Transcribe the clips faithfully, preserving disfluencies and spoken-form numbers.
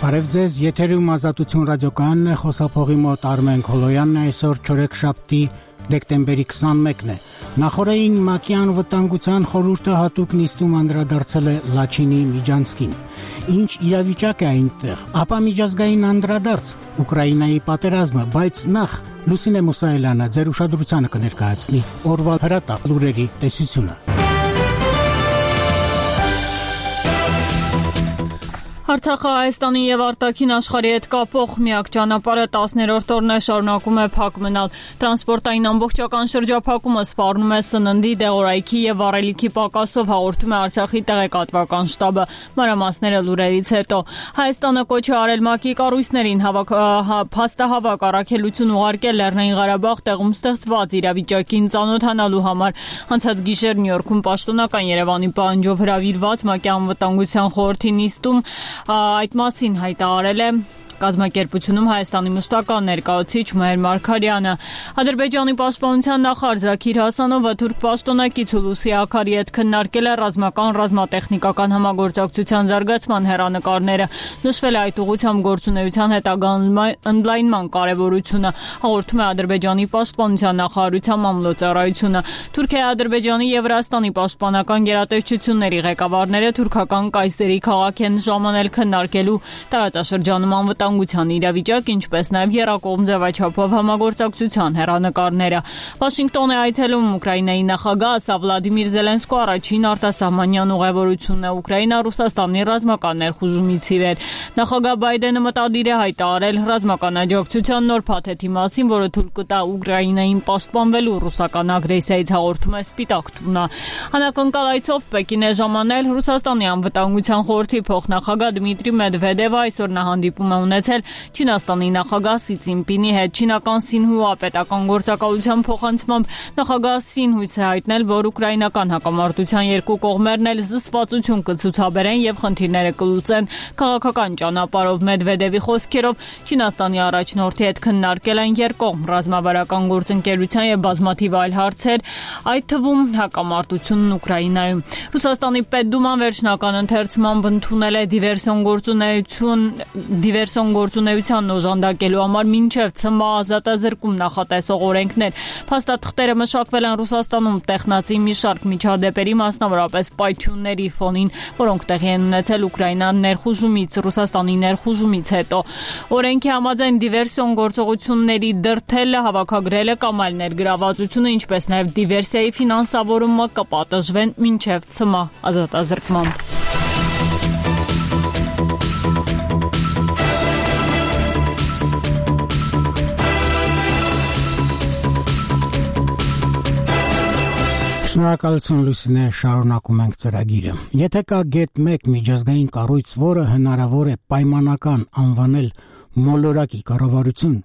Բարև ձեզ, եթերում Ազատություն ռադիոկայանն է, խոսափողի մոտ Արմեն Քոլոյանն է, այսօր չորեքշաբթի դեկտեմբերի քսանմեկն է։ Նախորդին ՄԱԿ-ի անվտանգության խորհուրդը հատուկ նիստում անդրադարձել է Լաչինի Միջանցքին։ Ինչ իրավիճակ է այնտեղ, ապա միջազգային անդրադարձ Ուկրաինայի պատերազմը, բայց նախ Լուսինե Մուսայելյանը ձեր ուշադրությանը կներկայացնի օրվա հրատապ լուրերի տեսությունը։ Արցախը Հայաստանի եւ արտաքին աշխարհի հետ կապող միակ ճանապարհը տասներորդ օրն է շարունակում է փակ մնալ։ Տրանսպորտային ամբողջական շրջափակումը սպառնում է սննդի, դեղորայքի եւ վառելիքի պակասով, հաղորդում է Արցախի տեղեկատվական շտաբը։ Մանրամասները լուրերից հետո Հայաստանը կոչ է արել ՄԱԿ-ի կառույցներին փաստահավաք առաքելություն ուղարկել Լեռնային Ղարաբաղ տեղում ստեղծված իրավիճակին ծանոթանալու համար։ Անցած գիշեր Նյու Յորքում պաշտոնական Երևանի պահանջով հրավիրված ՄԱԿ-ի անվտանգության խորհրդի նիստում այդ մասին հայտարարել է կազմակերպությունում Հայաստանի մշտական ներկայացուցիչ Մհեր Մարգարյանը։ Ադրբեջանի պաշտպանության նախարար Զաքիր Հասանովը թուրք պաշտոնակից Հուլուսի Աքարի հետ քննարկել է ռազմական ռազմատեխնիկական համագործակցության զարգացման հեռանկարները։ Նշվել է այդ ուղղությամբ գործունեության հետագա ընդլայնման կարևորությունը, հաղորդում է Ադրբեջանի պաշտպանության նախարարության մամլոյցարայությունը։ Թուրքիայի, Ադրբեջանի եւ Վրաստանի պաշտպանական գերատեսչությունների ղեկավարները թուրքական Կայսերի քաղաք են ժամանել քննարկելու տարածաշրջանում անվտանգության իրավիճակ, ինչպես նաև եռակողմ ձևաչափով համագործակցության հեռանկարները։ Վաշինգտոն է այցելում Ուկրաինայի նախագահ, սա Վլադիմիր Զելենսկու առաջին արտասահմանյան ուղևորությունն է Ուկրաինա-Ռուսաստանի ռազմական ներխուժումից ի վեր։ Նախագահ Բայդենը մտադիր է հայտարարել ռազմական աջակցության նոր փաթեթի մասին, որը թույլ կտա Ուկրաինային պաշտպանվելու ռուսական ագրեսիայից, հաղորդում է Սպիտակ տունը։ Անակնկալ այցով Պեկին է ժամանել Ռուսաստանի անվտանգության խորհրդի փոխնախագահ Դմիտրի Մեդվեդևը, այսօր նա հանդիպում է ունեցել Չինաստանի նախագահ Սի Ցինպինի հետ։ Չինական Սինհուա պետական գործակալության փոխանցմամբ նախագահ Սին հույս է հայտնել, որ ուկրաինական հակամարտության երկու կողմերն էլ զսպվածություն կցուցաբերեն եւ խնդիրները կլուծեն քաղաքական ճանապարհով։ Մեդվեդևի խոսքերով Չինաստանի առաջնորդի հետ քննարկել են երկկողմ ռազմավարական գործընկերության եւ բազմաթիվ այլ հարցեր, այդ թվում հակամարտությունն Ուկրաինայում։ Ռուսաստանի Պետդուման վերջնական ընթերցմամբ ընդունել է դիվերսիոն գործունեություն դիվերսիոն գործունեությանն օժանդակելու համար մինչև ցմահ ազատազրկում նախատեսող օրենքներ։ Փաստաթղթերը մշակվել են Ռուսաստանում տեխնացի մի շարք միջադեպերի, մասնավորապես պայթյունների ֆոնին, որոնք տեղի են ունեցել Ուկրաինան ներխուժումից, Ռուսաստանի ներխուժումից հետո։ Օրենքի համաձայն դիվերսիոն գործողությունների դրդելը, հավաքագրելը կամ այլ ներգրավվածությունը, ինչպես նաև դիվերսիայի ֆինանսավորումը կպատժվեն մինչև ցմահ ազատազրկմամբ։ Շնորհակալություն Լուսինե, շարունակում ենք ծրագիրը։ Եթե կա գետ մեկ միջազգային կառույց, որը հնարավոր է պայմանական անվանել մոլորակի կառավարություն,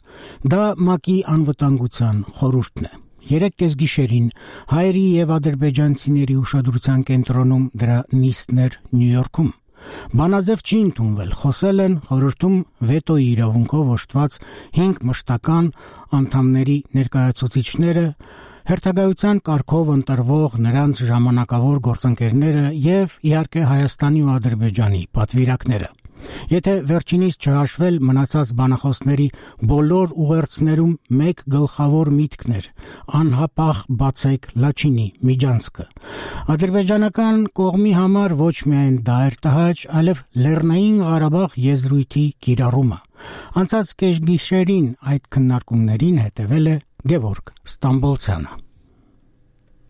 դա ՄԱԿ-ի անվտանգության խորհուրդն է։ Երեք կեսգիշերին հայերի եւ ադրբեջանցիների ուշադրության կենտրոնում դրա նիստն էր Նյու Յորքում։ Բանաձև չի ընդունվել, խոսել են խորհրդում վետոյի իրավունքով օժտված հինգ մշտական անդամների ներկայացուցիչները, հերթագայության կարգով ընտրվող նրանց ժամանակավոր գործընկերները եւ իհարկե Հայաստանի ու Ադրբեջանի պատվիրակները։ Եթե վերջինիս չհաշվել, մնացած բանախոսների բոլոր ուղերձներում մեկ գլխավոր միտքն էր՝ անհապաղ բացեք Լաչինի միջանցքը։ Ադրբեջանական կողմի համար ոչ միայն դա էր տհաճ, այլև Լեռնային Ղարաբաղ եզրույթի կիրառումը։ Անցած կեսգիշերին այդ քննարկումներին հետևել է Գևորգ Ստամբոլցյանը։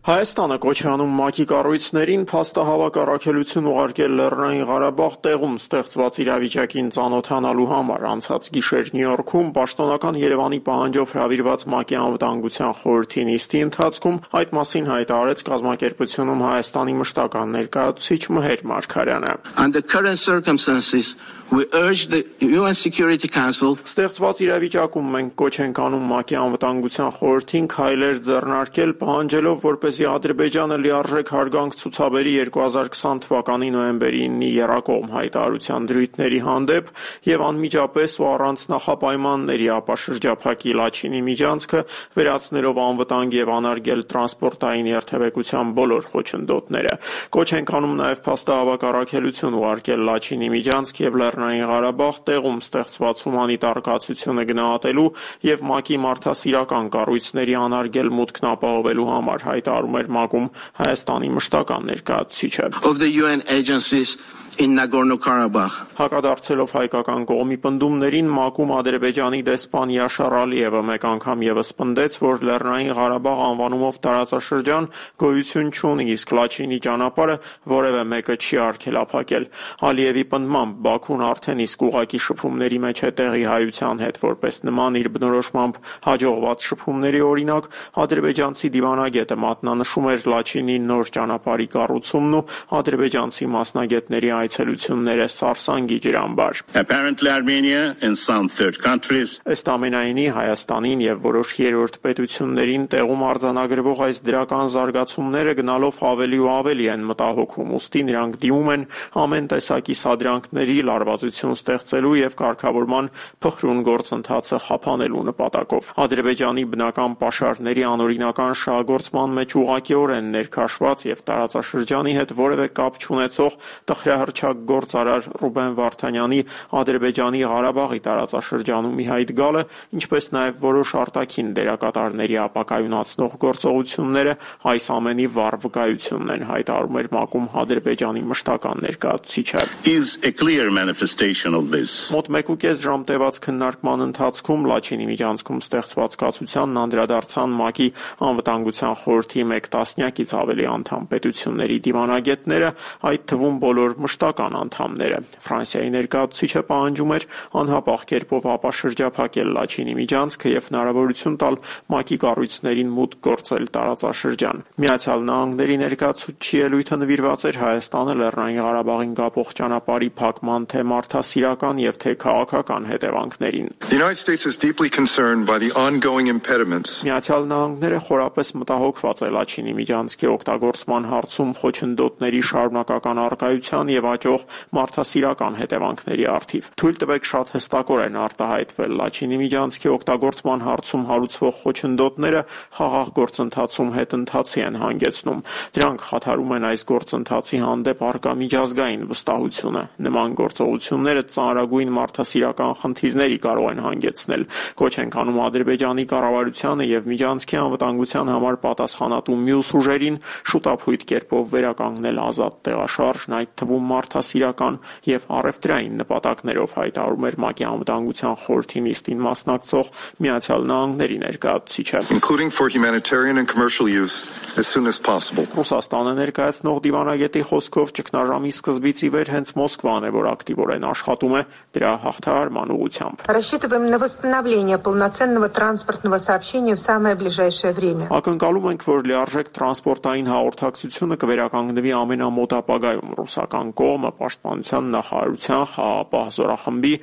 Հայաստանը կոչ է անում ՄԱԿ-ի կառույցներին փաստահավաք առաքելություն ուղարկել Լեռնային Ղարաբաղ տեղում ստեղծված իրավիճակին ծանոթանալու համար։ Անցած գիշեր Նյու Յորքում պաշտոնական Երևանի պահանջով հրավիրված ՄԱԿ-ի անվտանգության խորհրդի նիստի ընթացքում այդ մասին հայտարարեց կազմակերպությունում Հայաստանի մշտական ներկայացուցիչ Մհեր Մարգարյանը։ Under current circumstances, we urge the U N Security Council Ստեղծված իրավիճակում մենք կոչ ենք անում ՄԱԿ-ի անվտանգության խորհրդին քայլեր ձեռնարկել, պահանջելով, որպես որպեսզի Ադրբեջանը լիարժեք հարգանք ցուցաբերի երկու հազար քսան թվականի նոյեմբերի իննի եռակողմ հայտարարության դրույթների հանդեպ եւ անմիջապես ու առանց նախապայմանների ապաշրջափակի Լաչինի միջանցքը, վերացնելով անվտանգ եւ անարգել տրանսպորտային երթևեկության բոլոր խոչընդոտները։ Կոչ ենք անում նաեւ փաստահավաք առաքելություն ուղարկել Լաչինի միջանցք եւ Լեռնային Ղարաբաղ տեղում ստեղծված հումանիտար կացությունը գնահատելու եւ ՄԱԿ-ի մարդասիրական կառույցների անարգել մուտքն ապահովելու համար, հայտարարում էր ՄԱԿ-ում Հայաստանի մշտական ներկայացուցիչը։ Of the U N agencies in Nagorno-Karabakh. Հակադարձելով հայկական կողմի պնդումներին, ՄԱԿ-ում Ադրբեջանի դեսպան Յաշար Ալիևը մեկ անգամ եւս պնդեց, որ Լեռնային Ղարաբաղ անվանումով տարածաշրջան գոյություն չունի, իսկ Լաչինի ճանապարհը որևէ մեկը չի արգելափակել։ Ալիևի պնդմամբ Բաքուն արդեն իսկ ուղղակի շփումների մեջ է տեղի հայության հետ, որպես նման իր բնորոշմամբ հաջողված շփումների օրինակ, ադրբեջանցի դիվանագետը մատնանշում էր Լաչինի նոր ճանապարհի կառուցումն ու ադրբեջանցի մասնագետների այցելությունները սարսանգի ջրամբար։ Apparently Armenia and some third countries. Ըստ ամենայնի Հայաստանին եւ որոշ երրորդ պետություններին տեղում արձանագրվող այս դրական զարգացումները գնալով ավելի ու ավելի են մտահոգում, ուստի նրանք դիմում են ամեն տեսակի սադրանքների, լարվածություն ստեղծելու եւ կարգավորման փխրուն գործընթացը խափանելու նպատակով։ Ադրբեջանի բնական պաշարների անօրինական շահագործման մեջ ուղղակիորեն ներքաշված եւ տարածաշրջանի հետ որևէ կապ չունեցող տխրահռչակ գործարար Ռուբեն Վարդանյանի Ադրբեջանի Ղարաբաղի տարածաշրջանում ի հայտ գալը, ինչպես նաև որոշ արտաքին դերակատարների ապակայունացնող գործողությունները այս ամենի վառ վկայությունն են, հայտարարում էր ՄԱԿ-ում Ադրբեջանի մշտական ներկայացուցիչը։ Is a clear manifestation of this. Մոտ մեկուկես ժամ տևած քննարկման ընթացքում Լաչինի միջանցքում ստեղծված կացությանն անդրադարձան ՄԱԿ-ի անվտանգության խորհրդի մեկ տասնյակից ավելի անդամ պետությունների դիվանագետները, այդ թվում բոլոր մշտական անդամները։ Ֆրանսիայի ներկայացուցիչը պահանջում էր անհապաղ կերպով ապաշրջափակել Լաչինի միջանցքը եւ հնարավորություն տալ ՄԱԿ-ի կառույցներին մուտք գործել տարածաշրջան։ Միացյալ Նահանգների ներկայացուցչի ելույթը նվիրված էր Հայաստանը Լեռնային Ղարաբաղին կապող ճանապարհի փակման թե մարդասիրական եւ թե քաղաքական հետևանքներին։ The United States is deeply concerned by the ongoing impediments. Միացյալ Նահանգները խորապես մտահոգված է Լաչինի միջանցքի օգտագործման հարցում խոչընդոտների շարունակական առկայության եւ աճող մարդասիրական հետևանքների առթիվ։ Թույլ տվեք շատ հստակորեն արտահայտվել Լաչինի միջանցքի օգտագործման հարցում հարուցվող խոչընդոտները խաղաղ գործընթացում հետընթացի են հանգեցնում։ Դրանք խաթարում են այս գործընթացի հանդեպ առկա միջազգային վստահությունը։ Նման գործողությունները ծանրագույն մարդասիրական խնդիրների կարող են հանգեցնել։ Կոչ ենք անում Ադրբեջանի կառավարությանը եւ միջանցքի անվտանգության համար պատասխանատու մյուս ուժերին շուտապույտ կերպով վերականգնել ազատ տեղաշարժն, այդ թվում մարդասիրական եւ առևտրային նպատակներով, հայտարարում էր ՄԱԿ-ի անվտանգության խորհրդի նիստին մասնակցող Միացյալ Նահանգների ներկայացուցիչը, including for humanitarian and commercial use as soon as possible. Ռուսաստանը ներկայացնող դիվանագետի խոսքով ճգնաժամի սկզբից ի վեր հենց Մոսկվան է, որ ակտիվորեն աշխատում է դրա հաղթահարման ուղղությամբ։ Рассчитываем на восстановление полноценного транспортного сообщения в самое ближайшее время. Ակնկալում ենք, որ լիարժեք տրանսպորտային հաղորդակցությունը կվերականգնվի ամենամոտ ապագայում։ Ռուսական կողմը պաշտպանության նախարարության, խաղաղապահ զորախմբի,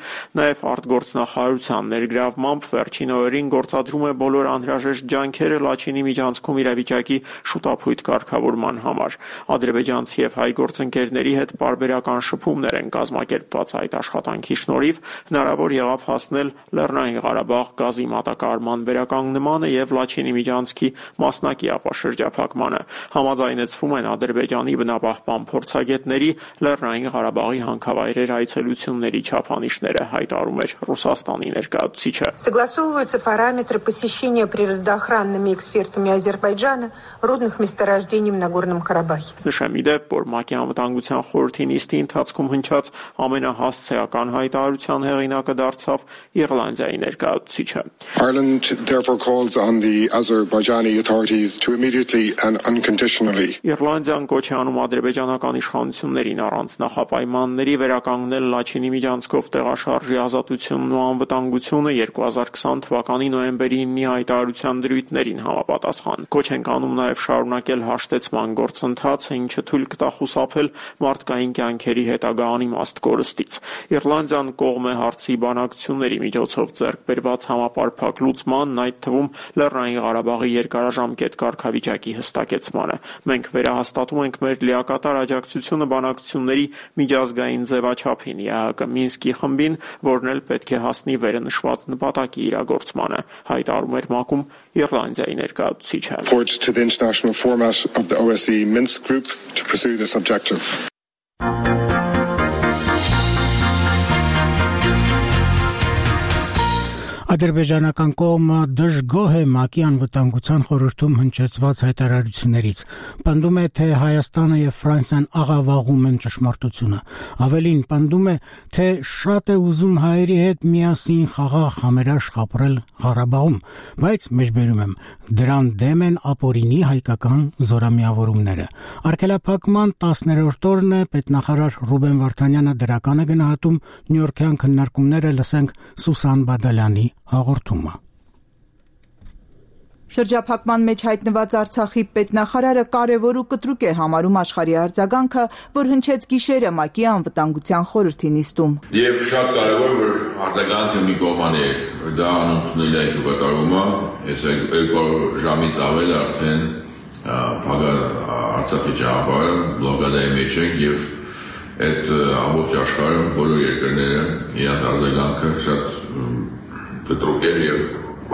նաև արտգործնախարարության ներգրավմամբ վերջին օրերին գործադրում է բոլոր անհրաժեշտ ջանքերը Լաչինի միջանցքում իրավիճակի շուտապույտ կարգավորման համար։ Ադրբեջանցի եւ հայ գործընկերների հետ պարբերական շփումներ են կազմակերպված այդ աշխատանքի շնորհիվ հնարավոր եղավ հասնել Լեռնային Ղարաբաղ գազի մատակարարման վերականգնմանը եւ Լաչինի միջանցքի մասնակի ապաշրջափակմանը։ Համաձայնեցվում են Ադրբեջանի բնապահպան փորձագետների Լեռնային Ղարաբաղի հանքավայրեր այցելությունների չափանիշները, հայտարարում էր Ռուսաստանի ներկայացուցիչը։ Согласовываются параметры посещения природоохранными экспертами Азербайджана рудных месторождений в Нагорном Карабахе. Նշեմ ի դեպ, որ ՄԱԿ-ի անվտանգության խորհրդի նիստի ընթացքում հնչած ամենահասցեական հայտարարության հեղինակը դարձավ Իռլանդիայի ներկայացուցիչը։ Ireland therefore calls on the Azerbaijani authorities to immediately and unconditionally. Իռլանդիան կոչ է անում ադրբեջանական իշխանություններին առանց առանց նախապայմանների վերականգնել Լաչինի միջանցքով տեղաշարժի ազատությունն ու անվտանգությունը երկու հազար կիսան թվականի նոյեմբերի ինի հայտարարության դրույթներին համապատասխան։ Կոչ ենք անում նաև շարունակել հաշտեցման գործընթացը, ինչը թույլ կտա խուսափել մարդկային կյանքերի հետագա անիմաստ կորստից։ Իռլանդիան կողմ է հարցի բանակցությունների միջոցով ձեռք բերված համապարփակ լուծմանն, այդ թվում Լեռնային Ղարաբաղի երկարաժամկետ կարգավիճակի հստակեցմանը։ Մենք վերահաստատում ենք մեր լիակատար աջակցությունը բանակցությունների միջազգային ձևաչափին, ԵԱՀԿ Մինսկի խմբին, որն էլ պետք է հասնի վերը նշված նպատակի իրագործմանը, հայտարարում էր ՄԱԿ-ում Իռլանդիայի ներկայացուցիչը։ To the international format of the O S C E Minsk group to pursue this objective. Ադրբեջանական կողմը դժգոհ է ՄԱԿ-ի անվտանգության խորհրդում հնչեցված հայտարարություններից։ Պնդում է, թե Հայաստանը եւ Ֆրանսիան աղավաղում են ճշմարտությունը։ Ավելին, պնդում է, թե շատ է ուզում հայերի հետ միասին խաղաղ համերաշխ ապրել Ղարաբաղում, բայց մեջբերում եմ, դրան դեմ են ապօրինի հայկական զորամիավորումները։ Արգելափակման տասներորդ օրն է, պետնախարար Ռուբեն Վարդանյանը դրական է գնահատում նյույորքյան քննարկումները, լսենք Սուսան Բադալյանի հաղորդումը։ Շրջափակման մեջ հայտնված Արցախի պետնախարարը կարևոր ու կտրուկ է համարում աշխարհի արձագանքը, որ հնչեց գիշերը ՄԱԿ-ի անվտանգության խորհրդի նիստում։ Եվ շատ կարևոր որ արձագանքը մի կողմանի է, դա անընդունելի է ճուղակարվում է, այս երկու ժամից ավել արդեն փակա Արցախի ճանապարհը բլոկադայի մեջ է եւ այդ ամբողջ աշխարհը բոլոր երկրները իրենց արձագանքը շատ կտրուկ է եւ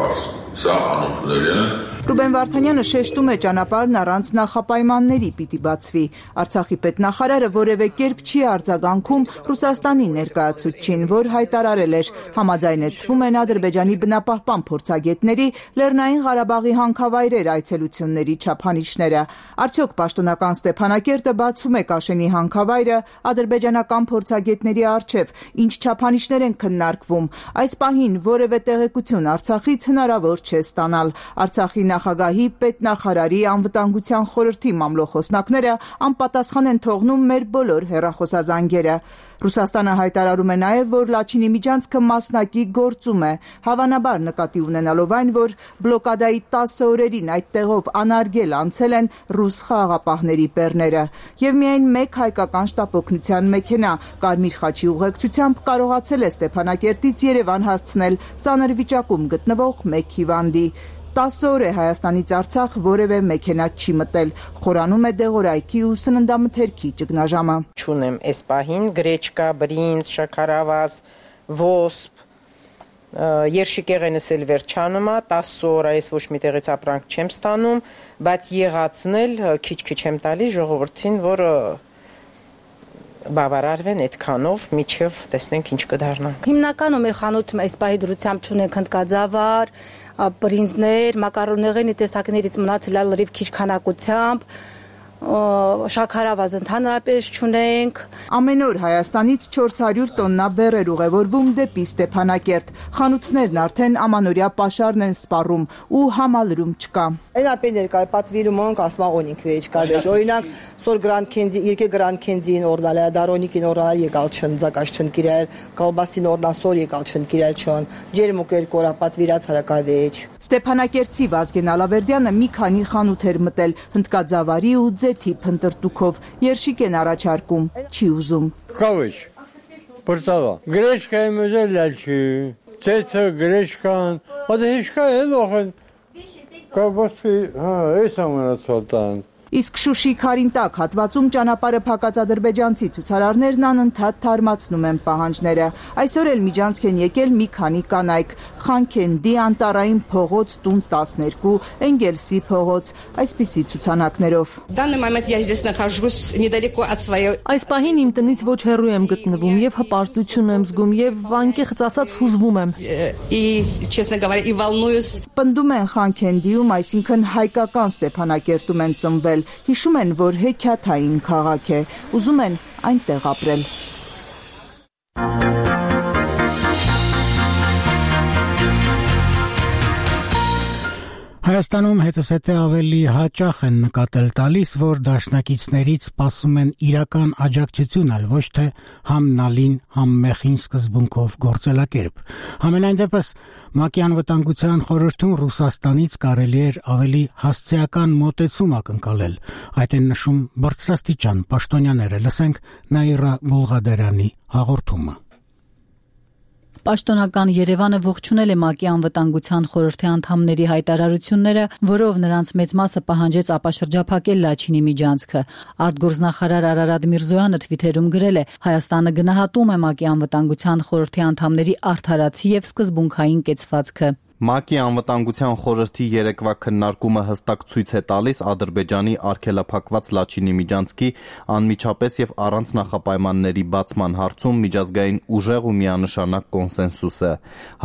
բարձ Սա անընդունելի է։ Ռուբեն Վարդանյանը շեշտում է ճանապարհն առանց նախապայմանների պիտի բացվի։ Արցախի պետնախարարը որևէ կերպ չի արձագանքում Ռուսաստանի ներկայացուցչին, որ հայտարարել էր համաձայնեցվում են Ադրբեջանի բնապահպան փորձագետների Լեռնային Ղարաբաղի հանքավայրեր այցելությունների չափանիշները։ Արդյոք պաշտոնական Ստեփանակերտը բացում է Կաշենի հանքավայրը ադրբեջանական փորձագետների առջև, ինչ չափանիշներ են քննարկվում։ Այս պահին որևէ տեղեկություն Արցախից հնարավոր չէ ստանալ։ Արցախի նախագահի, պետնախարարի, անվտանգության խորհրդի մամլոխոսնակները անպատասխան են թողնում մեր բոլոր հեռախոսազանգերը։ Ռուսաստանը հայտարարում է նաև, որ Լաչինի միջանցքը մասնակի գործում է, հավանաբար նկատի ունենալով այն, որ բլոկադայի տասը օրերին այդ տեղով անարգել անցել են ռուս խաղաղապահների բեռները։ Եվ միայն մեկ հայկական շտապօգնության մեքենա Կարմիր խաչի ուղեկցությամբ կարողացել է Ստեփանակերտից Երևան հասցնել ծանր վիճակում գտնվող մեկ հիվանդի։ տասը օր է Հայաստանից Արցախ որևէ մեքենա չի մտել, խորանում է դեղորայքի ու սննդամթերքի ճգնաժամը։ Չունեմ այս պահին գրեչկա, բրինձ, շաքարավազ, ոսպ, երշիկեղենս էլ վերջանում է, տասը օր այս ոչ մի տեղից ապրանք չեմ ստանում, բայց եղածնել քիչ-քիչ եմ տալի ժողովրդին, որ բավարարվեն այդքանով, միջև տեսնենք ինչ կդառնանք։ Հիմնականում մեր խանութում այս պահի դրությամբ չունենք հնդկաձավար, բրինձներ, մակարոնեղենի տեսակներից մնացել է լրիվ քիչ քանակությամբ, շաքարավազ ընդհանրապես չունենք։ Ամեն օր Հայաստանից չորս հարյուր տոննա բեռեր ուղևորվում դեպի Ստեփանակերտ։ Խանութներն արդեն ամանորյա պաշարն են սպառում ու համալրում չկա։ Այն ապե ներկայ պատվիրում ենք ասմաղոնիկ վեճ կավեճ։ Օրինակ սոր գրանդ քենզի, երկե գրանդ քենզին օրնալ է, դարոնիկին օրնալ եկալ չն, զակաշ չն կիրել, կալբասին օրնալ սոր եկալ չն կիրել չն, ջերմուկեր կորա պատվիրած հարակավեճ։ Ստեփանակերտցի Վազգեն Ալավերդյանը մի քանի խանութ էր մտել հնդկաձավարի ու ձեթի փնտրտուքով, երշիկ են առաջարկում, չի ուզում։ Կավեճ, բրծավա, գրեշկա եմ ուզել լալչի, ձեթը, գրեշկան, ադե հիշկա է լոխեն, կավասկի, հա, ես ամենացվատան։ Իսկ Շուշի Քարինտակ հատվածում ճանապարհը փակած ադրբեջանցի ցուցարարներն անընդհատ թարմացնում են պահանջները։ Այսօր էլ միջանցք են եկել մի քանի կանայք՝ Խանքենդի, Անտարային փողոց, տուն տասներկու, Էնգելսի փողոց, այսպիսի ցուցանակներով։ Այս պահին իմ տնից ոչ հեռու եմ գտնվում եւ հպարտություն եմ զգում եւ անկեղծ ասած հուզվում եմ։ Պնդում են Խանքենդիում, այսինքն հայկական Ստեփանակերտում են ծնվել, հիշում են, որ հեքիաթային քաղաք է, ուզում են այնտեղ ապրել։ Հայաստանում հետզհետե ավելի հաճախ են նկատել տալիս, որ դաշնակիցներից սպասում են իրական աջակցություն, այլ ոչ թե համ նալին, համ մեխին սկզբունքով գործելակերպ։ Համենայն դեպս ՄԱԿ-ի անվտանգության խորհրդում Ռուսաստանից կարելի էր ավելի հասցեական մոտեցում ակնկալել։ Այդ են նշում բարձրաստիճան պաշտոնյաները։ Լսենք Նաիրա Բուլղադարյանի հաղորդումը։ Պաշտոնական Երևանը ողջունել է ՄԱԿ-ի անվտանգության խորհրդի անդամների հայտարարությունները, որով նրանց մեծ մասը պահանջեց ապաշրջափակել Լաչինի միջանցքը։ Արտգործնախարար Արարատ Միրզոյանը թվիթերում գրել է. Հայաստանը գնահատում է ՄԱԿ-ի անվտանգության խորհրդի անդամների արդարացի եւ սկզբունքային կեցվածքը։ ՄԱԿ-ի անվտանգության խորհրդի երեկվա քննարկումը հստակ ցույց է տալիս Ադրբեջանի արգելափակված Լաչինի միջանցքի անմիջապես եւ առանց նախապայմանների բացման հարցում միջազգային ուժեղ ու միանշանակ կոնսենսուսը։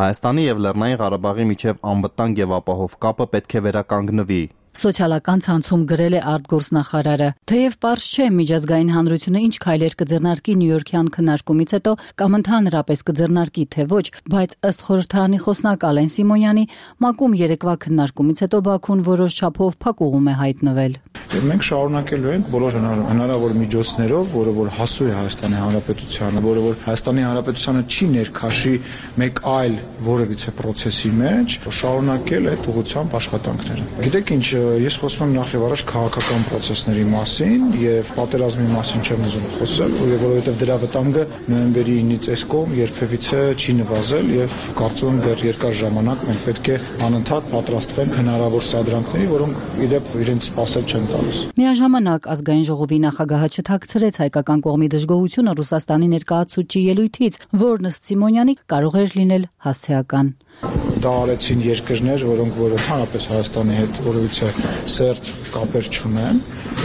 Հայաստանի եւ Լեռնային Ղարաբաղի միջև անվտանգ եւ ապահով կապը պետք է վերականգնվի։ Սոցիալական ցանցում գրել է արտգործնախարարը. Թեև պարզ չէ միջազգային հանրությունը ինչ քայլեր կձեռնարկի Նյույորքյան քննարկումից հետո կամ ընդհանրապես կձեռնարկի թե ոչ, բայց ըստ խորհրդարանի խոսնակ Ալեն Սիմոնյանի, ՄԱԿ-ում երեկվա քննարկումից հետո Բաքուն որոշ չափով փակուղում է հայտնվել։ Մենք շարունակելու ենք բոլոր հնարավոր միջոցներով, որը որ հասու է Հայաստանի Հանրապետությանը, որը որ Հայաստանի Հանրապետությանը չի ներքաշի մեկ այլ որևիցե process-ի մեջ, շարունակել այդ ուղղությամբ աշխատանքները։ Գիտեք ինչ, ես խոսում եմ նախ եւ առաջ քաղաքական process-ների մասին եւ պատերազմի մասին չեմ ուզում խոսել, որովհետեւ դրա վտանգը նոյեմբերի ինից այս կողմ երբևիցե չի նվազել եւ կարծում եմ դեռ երկար ժամանակ մենք պետք է անընդհատ պատրաստվենք հնարավոր սադրանքների, որոնք իդեպ իրենց սպասել չեն տալիս։ Միաժամանակ ազգային ժողովի նախագահը չթաքցրեց հայկական կողմի դժգոհությունը Ռուսաստանի ներկայացուցիչի ելույթից, որն ըստ Սիմոնյանի կարող էր լինել հասցեական։ Դա արեցին երկրներ, որոնք որ ընդհանրապես Հայաստանի հետ որևիցե սերտ կապեր չունեն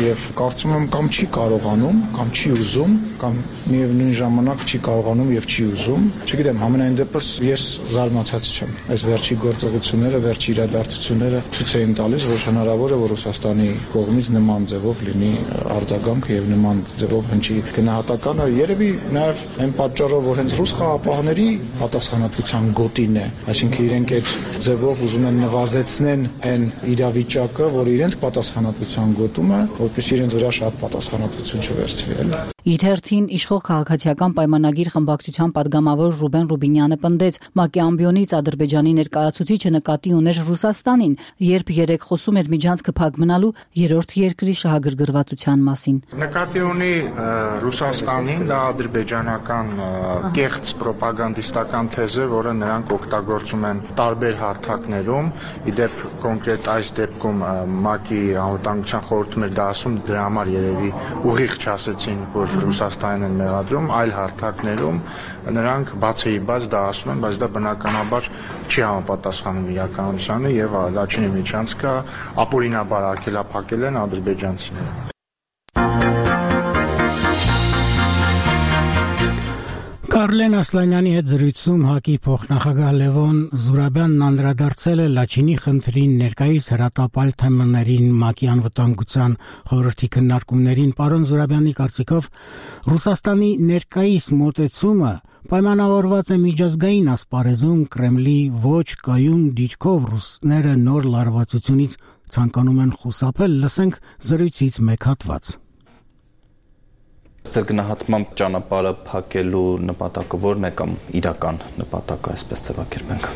եւ կարծում եմ կամ չի կարողանում, կամ չի ուզում, կամ միևնույն ժամանակ չի կարողանում եւ չի ուզում։ Չգիտեմ, համենայն դեպս ես զարմացած չեմ։ Այս վերջի գործողությունները, վերջի իրադարձությունները ցույց էին տալիս, որ հնարավոր է որ Ռուսաստանի կողմից նման ձևով լինի արձագանք եւ նման ձևով հնչի գնահատականը, երևի նաեւ այն պատճառով, որ հենց ռուս խաղապահների պատասխանատվության գոտին է, այսինքն իրենք այդ ձևով ուզում են նվազեցնեն այն իրավիճակը, որ իրենց պատասխանատվության գոտում է, որպես իրենց վրա շատ պատասխանատվություն չվերցվի։ Իր հերթին իշխող քաղաքացիական պայմանագիր խմբակցության падգամավոր Ռուբեն Ռուբինյանը պնդեց, ՄԱԿ-ի ամբիոնից Ադրբեջանի ներկայացուցիչը նկատի ուներ Ռուսաստանին, երբ երեք խոսում էր միջանցքը փակ մնալու երրորդ երկրի շահագրգռվածության մասին։ Նկատի ունի Ռուսաստանին, դա ադրբեջանական կեղծ պրոպագանդիստական թեզ է, որը նրանք օգտագործում են տարբեր հարթակներում, իդեպ կոնկրետ այս դեպքում ՄԱԿ-ի անվտանգության խորհուրդում էր դա ասում, դրա համար երևի ուղիղ չասեցին, որ Ռուսաստանին են մեղադրում, այլ հարթակներում նրանք բացեի բաց դա ասում են, բայց դա բնականաբար չի համապատասխանում իրականությանը եւ Լաչինի միջանցքը ապօրինաբար արգելափակել են ադրբեջանցիները։ Կարլեն Ասլանյանի հետ զրույցում ՀԱԿ-ի փոխնախագահ Լևոն Զուրաբյանն անդրադարձել է Լաչինի խնդրին ներկայիս հրատապալ թեմաներին ՄԱԿ-ի անվտանգության խորհրդի քննարկումներին։ Պարոն Զուրաբյանի կարծիքով Ռուսաստանի ներկայիս մոտեցումը պայմանավորված է միջազգային ասպարեզում Կրեմլի ոչ կայուն դիրքով ռուսները նոր լարվածությունից ցանկանում են խուսափել։ Լսենք զրույցից մեկ հատված։ Ձեր գնահատմամբ ճանապարհը փակելու նպատակը ո՞րն է կամ իրական նպատակը, այսպես ձևակերպենք։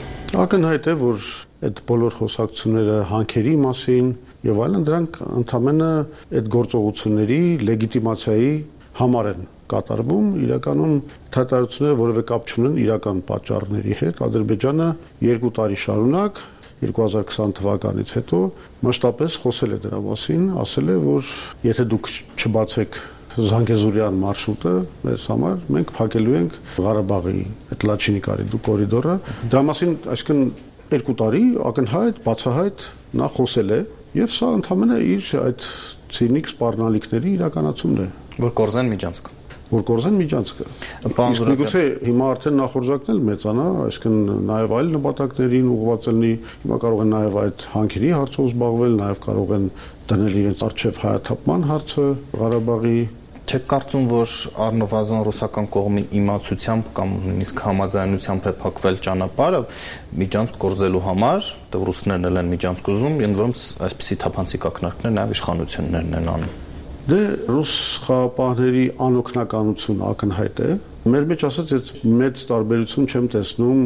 Ակնհայտ է, որ այդ բոլոր խոսակցությունները հանքերի մասին եւ այլն դրանք ընդհանրապես այդ գործողությունների լեգիտիմացիայի համար են կատարվում, իրականում թատարությունները որևէ կապ չունեն իրական պատճառների հետ։ Ադրբեջանը երկու տարի շարունակ երկու հազար քսան թվականից հետո մասշտաբապես խոսել է դրա մասին, ասել է, որ եթե դուք չբացեք Զանգեզուրյան մարշրուտը մեզ համար մենք փակելու ենք Ղարաբաղի այդ Լաչինի կորիդորը։ Դրա մասին այսինքն երկու տարի ակնհայտ, բացահայտ նա խոսել է եւ սա ընդհանրապես իր այդ ցինիկ սպառնալիքների իրականացումն է, որ կորզեն միջանցքը։ Որ կորզեն միջանցքը։ Իսկ միգուցե հիմա արդեն նախորձակն էլ մեծանա, այսինքն նաեւ այլ նպատակներին ուղղված լինի, հիմա կարող են նաեւ այդ հանքերի հարցով զբաղվել, նաեւ կարող են դնել իրենց արժեվ հայաթափման հարցը Ղարաբաղի։ Չեք կարծում, որ առնվազն ռուսական կողմի իմացությամբ կամ նույնիսկ համաձայնությամբ է փակվել ճանապարհը միջանցք գործելու համար, դեռ ռուսներն էլ են միջանցք ուզում, ընդ որում այսպիսի թափանցիկ ակնարկներ նաև իշխանություններն են անում։ Դե ռուս խաղապահների անօգնականություն ակնհայտ է։ Մեր մեջ ասած այդ մեծ տարբերություն չեմ տեսնում,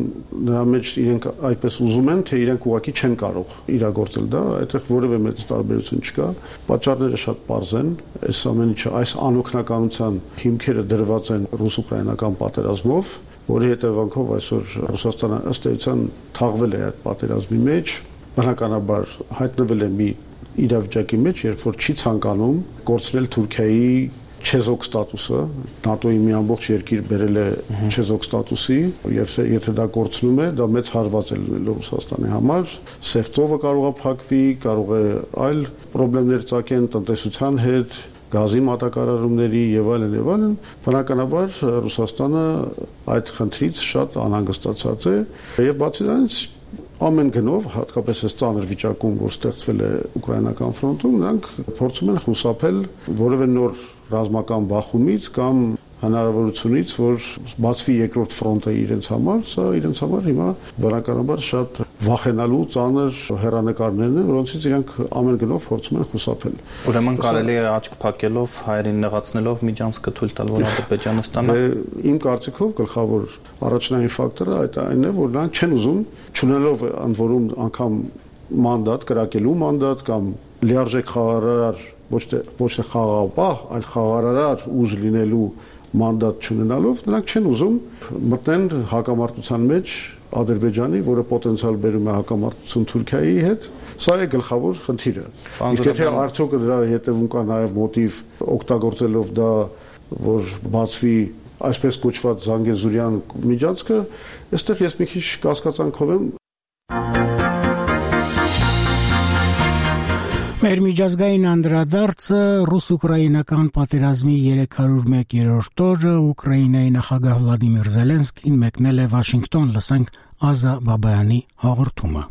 նրա մեջ իրենք այդպես ուզում են, թե իրենք ուղղակի չեն կարող իրագործել դա, այդտեղ որևէ մեծ տարբերություն չկա։ Պատճառները շատ պարզ են, այս ամեն ինչը, այս անօգնականության հիմքերը դրված են ռուս-ուկրաինական պատերազմով, որի հետևանքով այսօր Ռուսաստանը ըստ էության թաղվել է այդ պատերազմի մեջ, բնականաբար հայտնվել է մի իրավիճակի մեջ, երբ որ չի ցանկանում կորցնել Թուրքիայի չեզոք ստատուսը, ՆԱՏՕ-ի մի ամբողջ երկիր բերել է չեզոք ստատուսի, եւ եթե դա կորցնում է, դա մեծ հարված է լինելու Ռուսաստանի համար, Սևծովը կարող է փակվի, կարող է այլ խնդիրներ ծագեն տնտեսության հետ, գազի մատակարարումների եւ այլն եւ այլն, բնականաբար Ռուսաստանը այդ խնդրից շատ անհանգստացած է եւ բացի դրանից ամեն գնով, հատկապես այս ծանր վիճակում, որ ստեղծվել է ուկրաինական ֆրոնտում, նրանք փորձում են խուսափել որևէ նոր ռազմական բախումից կամ հնարավորությունից, որ բացվի երկրորդ ֆրոնտը իրենց համար, սա իրենց համար հիմա բնականաբար շատ վախենալու ծանր հեռանկարներն են, որոնցից իրենք ամեն գնով փորձում են խուսափել։ Ուրեմն կարելի է աչք փակելով, հայերին նեղացնելով միջանցքը թույլ տալ, որ Ադրբեջանը ստանա։ Իմ կարծիքով գլխավոր առաջնային ֆակտորը այդ այն է, որ նրանք չեն ուզում, չունենալով ընդ որում անգամ մանդատ, կրակելու մանդատ կամ լիարժեք խաղարար, ոչ թե ոչ թե խաղաղապահ, այլ խաղարար ուժ լինելու մանդատ չունենալով, նրանք չեն ուզում մտնեն հակամարտության մեջ Ադրբեջանի, որը պոտենցիալ բերում է հակամարտություն Թուրքիայի հետ, սա է գլխավոր խնդիրը։ Իսկ եթե արդյոք դրա հետևում կա նաև մոտիվ օգտագործելով դա, որ բացվի այսպես կոչված Զանգեզուրյան միջանցքը, այստեղ ես մի քիչ կասկածանքով եմ։ Մեր միջազգային անդրադարձը ռուս-ուկրաինական պատերազմի երեք հարյուր մեկերորդ օրը Ուկրաինայի նախագահ Վլադիմիր Զելենսկին մեկնել է Վաշինգտոն, լսենք Ազա Բաբայանի հաղորդումը։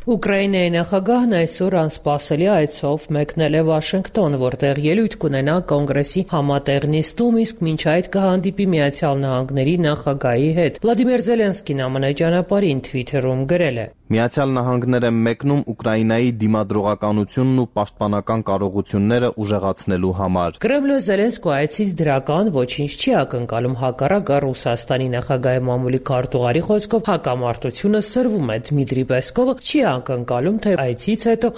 Ուկրաինայի նախագահն այսօր անսպասելի այցով մեկնել է Վաշինգտոն, որտեղ ելույթ կունենա կոնգրեսի համատեղ նիստում, իսկ մինչ այդ կհանդիպի Միացյալ Նահանգների նախագահի հետ։ Վլադիմիր Զելենսկին ԱՄՆ ճանապարհին Twitter-ում գրել է. Միացյալ Նահանգներ են մեկնում Ուկրաինայի դիմադրողականությունն ու պաշտպանական կարողությունները ուժեղացնելու համար։ Կրեմլը Զելենսկու այցից դրական ոչինչ չի ակնկալում, հակառակը Ռուսաստանի նախագահի մամուլի քարտուղարի խոսքով հակամարտությունը սրվում է։ Դմիտրի Պեսկովը չի ակնկալում, թե այցից հետո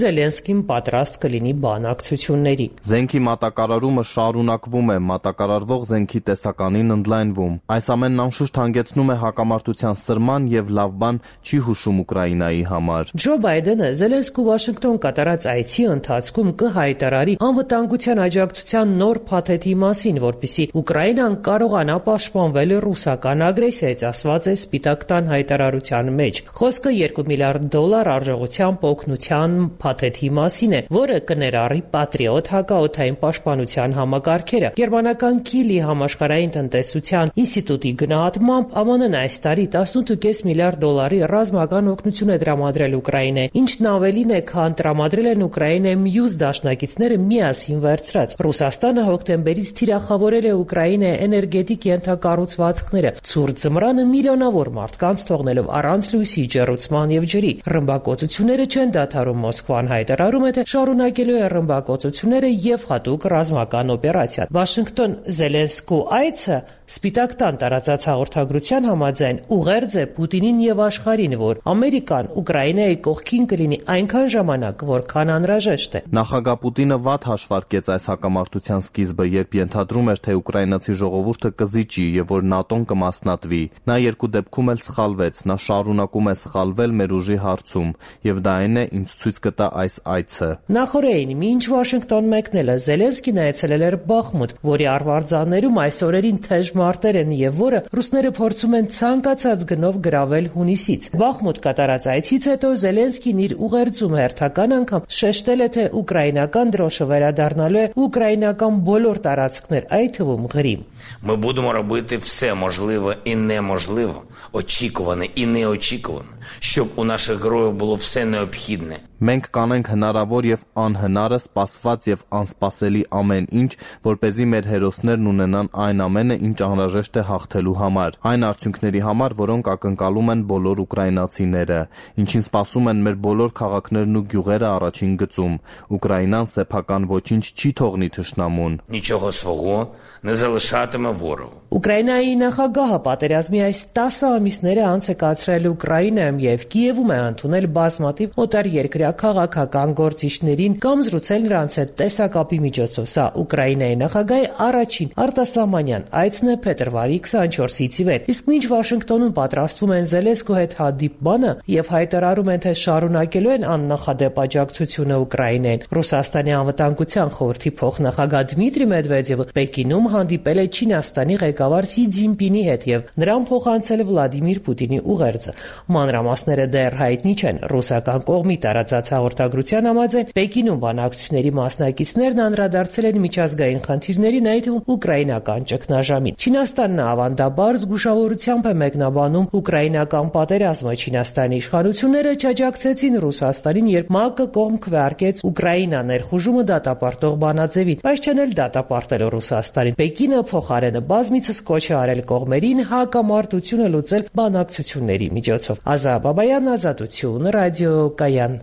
Զելենսկին պատրաստ կլինի բանակցությունների։ Զենքի մատակարարումը շարունակվում է, մատակարարվող զենքի տեսականին ընդլայնվում։ Այս ամենն անշուշտ հանգեցնում է հակամարտության սրման եւ լավ բան չի հուշում Ուկրաինայի համար։ Ջո Բայդենը Զելենսկու Վաշինգտոն կատարած այցի ընթացքում կհայտարարի անվտանգության աջակցության նոր փաթեթի մասին, որպեսզի Ուկրաինան կարողանա պաշտպանվել ռուսական ագրեսիայից, ասված է Սպիտակ տան հայտարարության մեջ։ Խոսքը երկու միլիարդ դոլար արժողությամբ օգնության փաթեթի մասին է, որը կներառի Patriot հակաօդային պաշտպանության համակարգերը։ Գերմանական Քիլի համաշխարհային տնտեսության ինստիտուտի գնահատմամբ ԱՄՆ-ն այս տարի տասնութ կես միլիարդ դոլարի ռազմական օգնություն է տրամադրել Ուկրաինային, ինչն ավելին է, քան տրամադրել են Ուկրաինայի մյուս դաշնակիցները միասին վերցրած։ Ռուսաստանը հոկտեմբերից թիրախավորել է Ուկրաինայի էներգետիկ ենթակառուցվածքները, ցուրտ ձմռանը միլիոնավոր մարդկանց թողնելով առանց լույսի, ջեռուցման եւ ջրի։ Ռմբակոծությունները չեն դադարում։ Մոսկվան հայտարարում է, թե շարունակելու է ռմբակոծությունները եւ հատուկ ռազմական օպերացիա։ Վաշինգտոն Զելենսկու այցը Սպիտակ տան տարածած հաղորդագրության համաձայն ուղերձ է Պուտինին եւ աշխարհին, որ Ամերիկան Ուկրաինայի կողքին կլինի այնքան ժամանակ, որքան անհրաժեշտ է։ Նախագահ Պուտինը վատ հաշվարկեց այս հակամարտության սկիզբը, երբ ենթադրում էր, թե ուկրաինացի ժողովուրդը կզիջի եւ որ ՆԱՏՕ-ն կմասնատվի։ Նա երկու դեպքում էլ սխալվեց։ Նա շարունակում է սխալվել մեր ուժի հարցում, եւ դա այն է, ինչ ցույց կտա այս այցը։ Նախորդին, մինչ Վաշինգտոն մեկնելը Զելենսկին այցելել էր Բախմուտ, որի արվարձաններում այս օրերին թեժ մարտեր են եւ որը ռուսները փորձում են ցանկացած գնով գրավել հունիսից։ Բախմուտ մոտ կատարած այցից հետո Զելենսկին իր ուղերձում հերթական անգամ շեշտել է, թե ուկրաինական դրոշը վերադառնալու է ուկրաինական բոլոր տարածքներ, այդ թվում Ղրիմ. Ми будемо робити все можливе і неможливе, очікуване і неочікуване, щоб у наших героїв було все необхідне. Մենք կանենք հնարավոր եւ անհնարը, սպասված եւ անսպասելի ամեն ինչ, որպեսզի մեր հերոսներն ունենան այն ամենը, ինչ անհրաժեշտ է հաղթելու համար, այն արդյունքների համար, որոնք ակնկալում են բոլոր ուկրաինացիները, ինչին սպասում են մեր բոլոր քաղաքներն ու գյուղերը առաջին գծում։ Ուկրաինան սեփական ոչինչ չի թողնի թշնամուն։ Нічого свого не залишатиме ворогу. Ուկրաինայի նախագահը պատերազմի այս տասը ամիսները անց է կացրել Ուկրաինայում եւ Կիևում է ընդունել բազմաթիվ օտարերկրյա քաղաքական գործիչներին կամ զրուցել նրանց հետ տեսակապի միջոցով։ Սա Ուկրաինայի նախագահի առաջին արտասահմանյան այցն է փետրվարի քսանչորսից ի վեր։ Իսկ մինչ Վաշինգտոնում պատրաստվում են Զելենսկու հետ հանդիպմանը եւ հայտարարում են, թե շարունակելու են աննախադեպ աջակցությունը Ուկրաինային, Ռուսաստանի անվտանգության խորհրդի փոխնախագահ Դմիտրի Մեդվեդևը Պեկինում հանդիպել է Չինաստանի ղեկավար Սի Ցզինպինի հետ եւ նրան փոխանցել Վլադիմիր Պուտինի ուղերձը։ Մանրամասները դեռ հայտնի չեն։ Ռուսական կողմի տարածած հաղորդագրության համաձայն Պեկինում բանակցությունների մասնակիցներն անդրադարձել են միջազգային խնդիրներին, այդ թվում ուկրաինական ճգնաժամին։ Չինաստանն ավանդաբար զգուշավորությամբ է մեկնաբանում ուկրաինական պատերազմը։ Չինաստանի իշխանությունները չաջակցեցին Ռուսաստանին, երբ ՄԱԿ-ը կողմ քվեարկեց Ուկրաինա ներխուժումը դատապարտող բանաձևին, բայց չեն էլ դատապարտել Ռուսաստանին։ Պեկինը փոխարենը բազմիցս կոչ է արել կողմերին հակամարտությունը լուծել բանակցությունների միջոցով։ Ազա Բաբայան, Ազատություն, Ռադիո Կայան։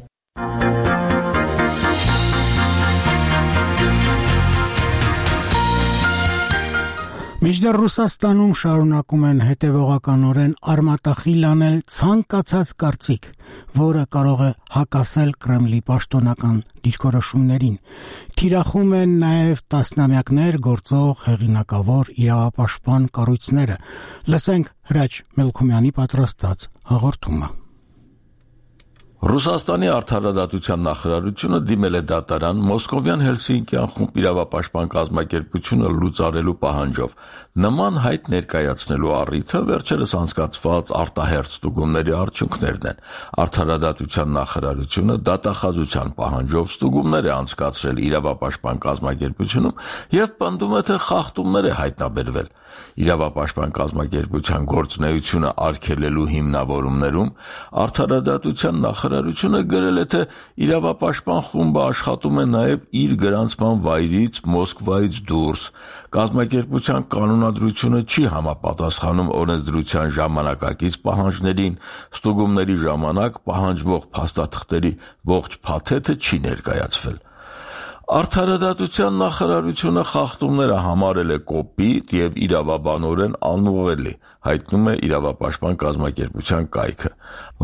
Մինչդեռ Ռուսաստանում շարունակում են հետևողականորեն արմատախիլ անել ցանկացած կարծիք, որը կարող է հակասել Կրեմլի պաշտոնական դիրքորոշումներին։ Թիրախում են նաև տասնամյակներ գործող հեղինակավոր իրավապաշտպան կառույցները։ Լսենք Հրաչ Մելքումյանի պատրաստած հաղորդումը։ Ռուսաստանի արդարադատության նախարարությունը դիմել է դատարան Մոսկովյան Հելսինկյան խումբ իրավապաշտպան կազմակերպությունը լուծարելու պահանջով։ Նման հայտ ներկայացնելու առիթը վերջերս անցկացված արտահերթ ստուգումների արդյունքներն են։ Արդարադատության նախարարությունը դատախազության պահանջով ստուգումներ է անցկացրել իրավապաշտպան կազմակերպությունում եւ պնդում է, թե խախտումներ է հայտնաբերվել։ Իրավապաշտպան կազմակերպության գործունեությունը արգելելու հիմնավորումներում արդարադատության նախարարությունը գրել է, թե իրավապաշտպան խումբը աշխատում է նաև իր գրանցման վայրից Մոսկվայից դուրս։ Կազմակերպության կանոնադրությունը չի համապատասխանում օրենսդրության ժամանակակից պահանջներին, ստուգումների ժամանակ պահանջվող փաստաթղթերի ողջ փաթեթը չի ներկայացվել։ Արդարադատության նախարարությունը խախտումները համարել է կոպիտ եւ իրավաբանորեն անուղղելի, հայտնում է իրավապաշտպան կազմակերպության կայքը։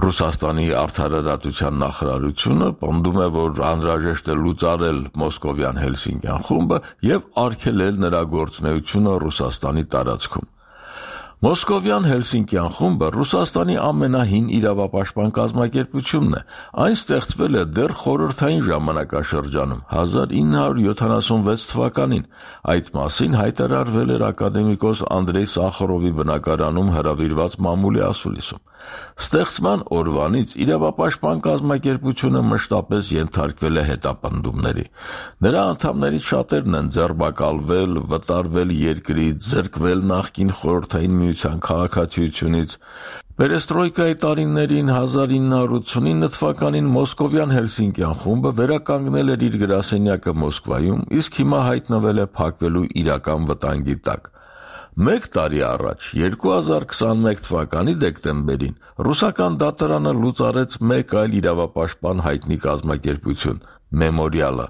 Ռուսաստանի արդարադատության նախարարությունը պնդում է, որ անհրաժեշտ է լուծարել Մոսկովյան Հելսինկյան խումբը եւ արգելել նրա գործունեությունը Ռուսաստանի տարածքում։ Մոսկովյան Հելսինկյան խումբը Ռուսաստանի ամենահին իրավապաշտպան կազմակերպությունն է։ Այն ստեղծվել է դեռ խորհրդային ժամանակաշրջանում հազար ինը հարյուր յոթանասունվեց թվականին։ Այդ մասին հայտարարվել էր ակադեմիկոս Անդրեյ Սախարովի բնակարանում հրավիրված մամուլի ասուլիսում։ Ստեղծման օրվանից իրավապաշտպան կազմակերպությունը մշտապես ենթարկվել է հետապնդումների։ Նրա անդամներից շատերն են ձերբակալվել, վտարվել երկրից, զրկվել նախկին խորհրդային միության քաղաքացիությունից։ Պերեստրոյկայի տարիներին հազար ինը հարյուր ութսունինը թվականին Մոսկովյան Հելսինկյան խումբը վերականգնել էր իր գրասենյակը Մոսկվայում, իսկ հիմա հայտնվել է փակվելու իրական վտանգի տակ։ Մեկ տարի առաջ, երկու հազար քսանմեկ թվականի դեկտեմբերին, ռուսական դատարանը լուծարեց մեկ այլ իրավապաշտպան հայտնի կազմակերպություն՝ Մեմորիալը։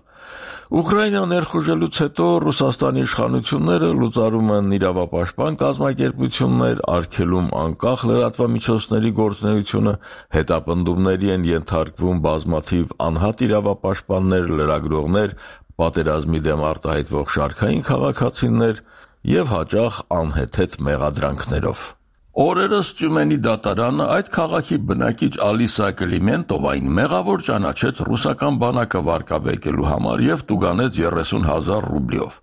Ուկրաինա ներխուժելուց հետո Ռուսաստանի իշխանությունները լուծարում են իրավապաշտպան կազմակերպություններ, արգելում անկախ լրատվամիջոցների գործունեությունը, հետապնդումների են ենթարկվում բազմաթիվ անհատ իրավապաշտպաններ, լրագրողներ, պատերազմի դեմ արտահայտվող շարքային քաղաքացիներ եւ հաճախ անհեթեթ մեղադրանքներով։ Օրերս Տյումենի դատարանը այդ քաղաքի բնակիչ Ալիսա Կլիմենտովային մեղավոր ճանաչեց ռուսական բանակը վարկաբեկելու համար եւ տուգանեց երեսուն հազար ռուբլիով։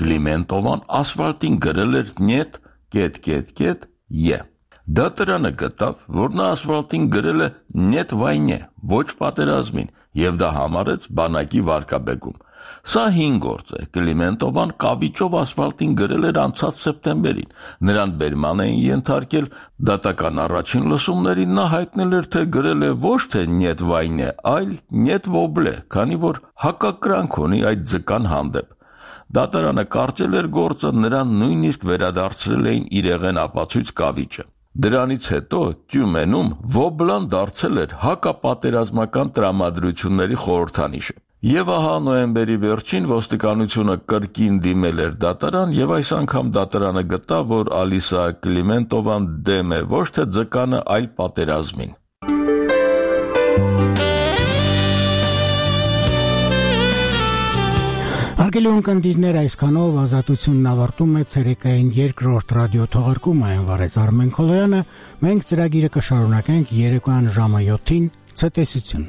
Կլիմենտովան ասֆալտին գրել էր «Նյետ, կետ, կետ, կետ, ե»։ Դատարանը գտավ, որ նա ասֆալտին գրել է «Նետ վայնե», ոչ պատերազմին, եւ դա համարեց բանակի վարկաբեկում։ Սա հին գործ է։ Կլիմենտովան կավիճով ասֆալտին գրել էր անցած սեպտեմբերին։ Նրան բերման էին ենթարկել դատական առաջին լսումներին, նա հայտնել էր, թե գրել է ոչ թե «Նետ վայնե», այլ «Նետ ոբլե», քանի որ հակակրանք ունի այդ ձկան հանդեպ։ Դատարանը կարճել էր գործը, նրան նույնիսկ վերադարձրել էին իրեղեն ապացույց կավիճը։ Դրանից հետո Տյումենում ոբլան դարձել էր հակապատերազմական տրամադրությունների խորհրդանիշը։ Եվ ահա նոյեմբերի վերջին ոստիկանությունը կրկին դիմել էր դատարան եւ այս անգամ դատարանը գտավ, որ Ալիսա Կլիմենտովան դեմ է ոչ թե ձկանը, այլ պատերազմին։ Հարգելի ունկնդիրներ, այսքանով ազատությունն ավարտում է ցերեկային երկրորդ ռադիո թողարկումը, այն վարեց Արմեն Քոլոյանը։ Մենք ծրագիրը կշարունակենք երեկոյան ժամը յոթին ցտեսություն։